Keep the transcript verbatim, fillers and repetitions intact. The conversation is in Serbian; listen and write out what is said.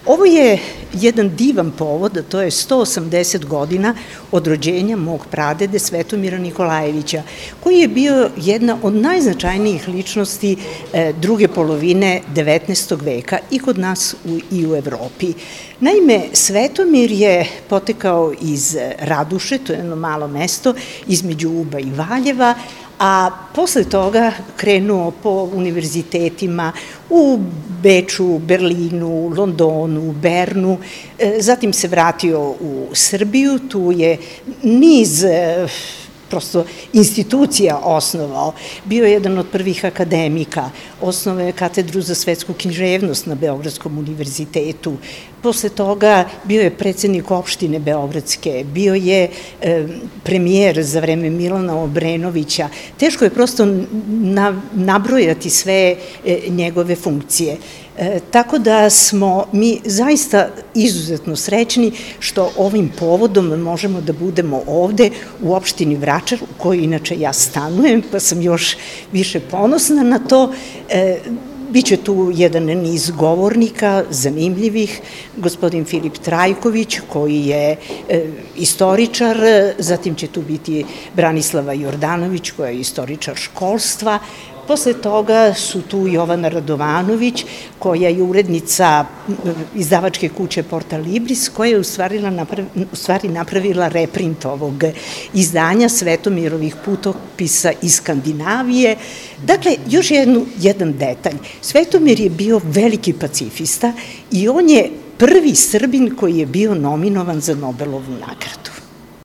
Ovo je jedan divan povod, a to je sto osamdeset godina od rođenja mog pradede Svetomira Nikolajevića, koji je bio jedna od najznačajnijih ličnosti druge polovine devetnaestog veka i kod nas i u Evropi. Naime, Svetomir je potekao iz Raduše, to je jedno malo mesto između Uba i Valjeva, a posle toga krenuo po univerzitetima u Beču, Berlinu, Londonu, Bernu, zatim se vratio u Srbiju, tu je niz prosto institucija osnovao. Bio je jedan od prvih akademika, osnovao je katedru za svetsku književnost na Beogradskom univerzitetu. Posle toga bio je predsednik opštine Beogradske, bio je premijer za vreme Milana Obrenovića. Teško je prosto nabrojati sve njegove funkcije. Tako da smo mi zaista izuzetno srećni što ovim povodom možemo da budemo ovde u opštini Vračar, u kojoj inače ja stanujem, pa sam još više ponosna na to. Biće tu jedan niz govornika, zanimljivih, gospodin Filip Trajković, koji je istoričar, zatim će tu biti Branislava Jordanović, koja je istoričar školstva. Posle toga su tu Jovana Radovanović, koja je urednica izdavačke kuće Porta Libris, koja je u stvari napravila reprint ovog izdanja Svetomirovih putopisa iz Skandinavije. Dakle, još jedan detalj. Svetomir je bio veliki pacifista i on je prvi Srbin koji je bio nominovan za Nobelovu nagradu.